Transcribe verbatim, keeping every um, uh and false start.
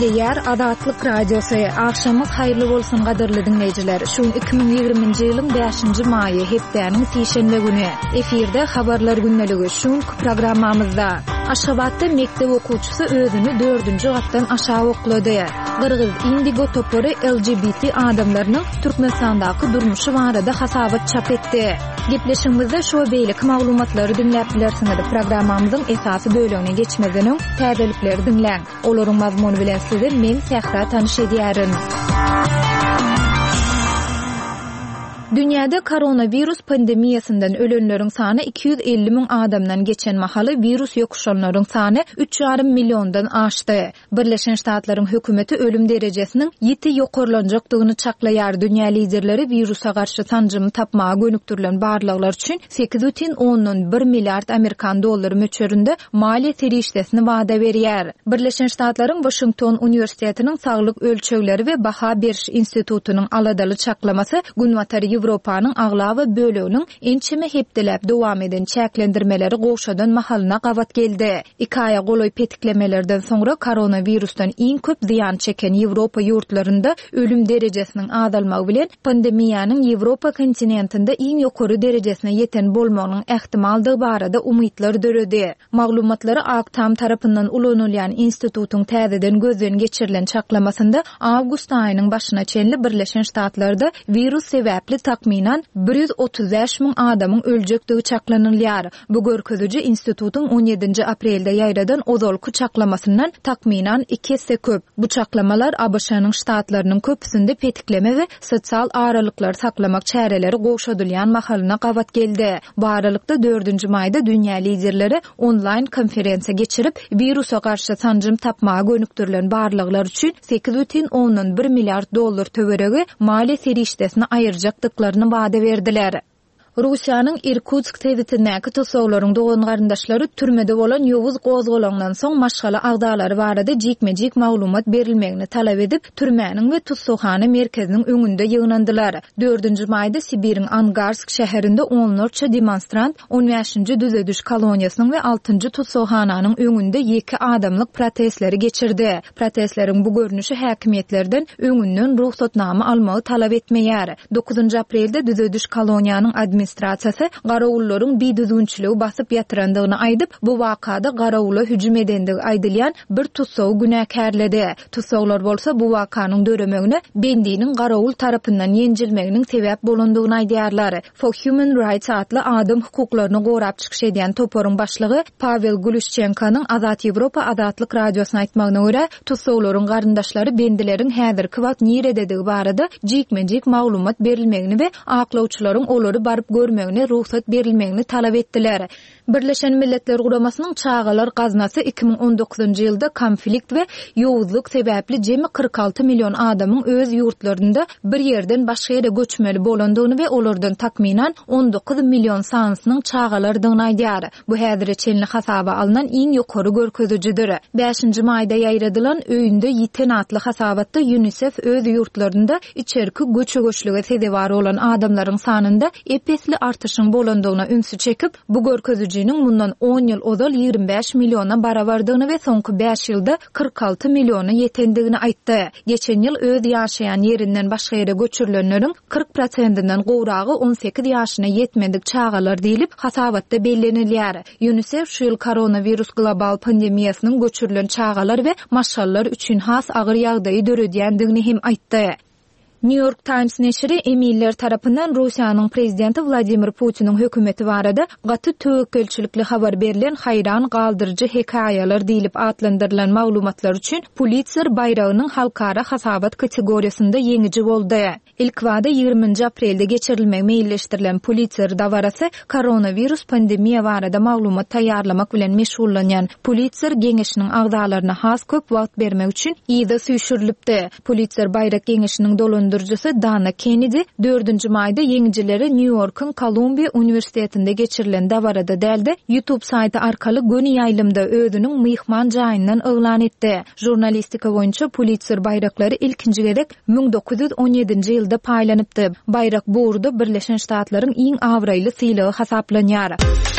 Gepleýär Azatlyk Radiosy. Agşamyňyz haýyrly bolsun gadyrly diňleýjiler. Şu gün iki müň ýigriminji ýylyň bäşinji maýy, hepdäniň sişenbe güni. Efirde Habarlar gündeligi. Şu günki programmamyzda Aşgabatda mekdep okuwçysy özüni dördünji gatdan aşak oklady. Gyrgyz Indigo topary L G B T adamlarynyň Türkmenistandaky durmuşy barada hasabat çap etdi. Gepleşigimizde şu we beýleki maglumatlary diňläp bilersiňiz. Programmamyzyň esasy bölegine geçmezden öň täzelikleri diňläň. Olaryň mazmuny bilen sizi men Sähra tanyş edýärin. Dünýäde koronawirus pandemiýasyndan ölenleriň sany iki ýüz elli müň adamdan geçen mahaly wirus ýokuşanlaryň sany üç ýarym milliondan aşdy. Birleşen Ştatlaryň hökümeti ölüm derejesiniň ýiti ýokarlanjakdygyny çaklaýar. Dünýä liderleri wirusa garşy sanjymy tapmaga gönükdirilen barlaglar üçin sekiz bütin ondan bir milliard Amerikan dollary möçberinde maliýe serişdesini wada berýär. Birleşen Ştatlaryň Washington Uniwersitetiniň Saglyk ölçegleri we baha beriş institutynyň aladaly çaklamasy Günbatar Ýewropanyň aglaba böleginiň ençeme hepdeläp dowam eden çäklendirmeleri gowşadan mahalyna gabat geldi. Iki aýa golaý petiklemelerden soňra koronavirusdan iň köp zyýan çeken Ýewropa ýurtlarynda ölüm derejesiniň azalmagy bilen pandemiýanyň Ýewropa kontinentinde iň ýokary derejesine ýeten bolmagynyň ähtimaldygy barada umytlar döredi. Maglumatlary Ak Tam tarapyndan ulanylýan institutyň täzeden gözden geçirilen çaklamasynda awgust aýynyň başyna çenli Birleşen Ştatlarda wirus sebäpli takmynan bir ýüz otuz bäş müň adamyň öljekdigi çaklanylýar. Bu görkeziji institutyň on ýedinji aprelde ýaýradan ozalky çaklamasyndan takmynan iki esse köp. Bu çaklamalar A B Ş-nyň ştatlarynyň köpüsinde petikleme we sosial aralyklary saklamak çäreleri gowşadylýan mahalyna gabat geldi. Bu aralykda dördünji maýda dünýä liderleri onlaýn konferensiýa geçirip, wirusa garşy sanjym tapmaga gönükdirilen barlaglar üçin sekiz bütin ondan bir milliard dollar töweregi maliýe serişdesini aýyrjakdyklaryny wada berdiler. Russiýanyň Irkutsk sebitindäki tussaglaryň dogan garyndaşlary türmede bolan ýowuz gozgalaňdan soň maşgala agzalary barada jikme-jik maglumat berilmegini talap edip, türmäniň we tussaghana merkeziniň öňünde ýygnandylar. Dördünji maýda Sibiriň Angarsk şäherinde onlarça demonstrant on bäşinji düzediş koloniýasynyň we altynjy tussaghananyň öňünde ýeke adamlyk protestleri geçirdi. Protestleriň bu görnüşi häkimiýetlerden öňünden rugsatnama almagy talap etmeýär. Dokuzynjy aprelde düzediş koloniýanyň administrasiýasy garawullaryň bidüzgünçiligi basyp ýatyrandygyny aýdyp, bu wakada garawula hüjüm edendigi aýdylýan bir tussagy günäkärledi. Tussaglar bolsa bu wakanyň döremegine bendiniň garawul tarapyndan ýenjilmeginiň sebäp bolandygyny aýdýarlar. For Human Rights atly adam hukuklaryny gorap çykyş edýän toparyň başlygy Pavel Guluşçenkonyň Azat Ýewropa Azatlyk radiosyna aýtmagyna görä, tussaglaryň garyndaşlary bendileriň häzirki wagt nirededigi barada jikme-jik maglumat berilmegini we aklawçylaryň olary baryp görmegine rugsat berilmegini talap etdiler. Birleşen Milletler Guramasynyň Çagalar Gaznasy iki müň on dokuzynjy ýylda konflikt we ýowuzlyk sebäpli jemi kyrk alty million adamyň öz ýurtlarynda bir ýerden başga ýere göçmeli bolandygyny we olardan takmynan on dokuz million sanysynyň çagalardygyny aýdýar. Bu häzire çenli hasaba alnan iň ýokary görkezijidir. Bäşinji maýda ýaýradylan öýünde ýiten atly hasabatda UNICEF öz ýurtlarynda içerki göçe-göçlüge sezewar bolan adamlaryň sanynda epesli artyşyň bolandygyna ünsi çekip, bu görkezijiniň mundan on ýyl ozal ýigrimi bäş milliona barabardygyny we soňky bäş ýylda kyrk alty milliona ýetendigini aýtdy. Geçen ýyl öz ýaşaýan ýerinden başga ýere göçürilenleriň kyrk prosentinden gowragy on sekiz ýaşyna ýetmedik çagalar diýlip hasabatda bellenilýär. UNICEF şu ýyl koronawirus global pandemiýasynyň göçürilen çagalar we maşgalalar üçin has agyr ýagdaýy döredýändigini hem aýtdy. New York Times neşiri emiller tarapyndan Russiýanyň prezidenti Vladimir Putiniň hökümeti barada gaty töwekgelçilikli habar berlen haýran galdyryjy hekaýalar diýlip atlandyrylan maglumatlar üçin Pulitzer baýragynyň halkara hasabat kategoriýasynda ýeňiji boldy. Ilk wada ýigriminji aprelde geçirilmegi meýilleşdirilen Pulitzer dabarasy koronawirus pandemiýa barada maglumat taýýarlamak bilen meşgullanýan Pulitzer geňeşiniň agzalaryna has köp wagt bermek üçin ýygy süýşürilipdi. Pulitzer baýrak geňeşiniň dolandyryjysy Dana Kennedy dördünji maýda ýeňijileri New Yorkyň Kolumbiýa Uniwersitetinde geçirilen dabarada däldi, YouTube saýty arkaly göni ýaýlymda özüniň myhman jaýyndan yglan etdi. Žurnalistika boýunça Pulitzer baýraklary ilkinji gezek müň dokuz ýüz on ýedinji ýylda paýlanypdy. Baýrak bu ugurda Birleşen Ştatlaryň iň abraýly sylagy hasaplanýar.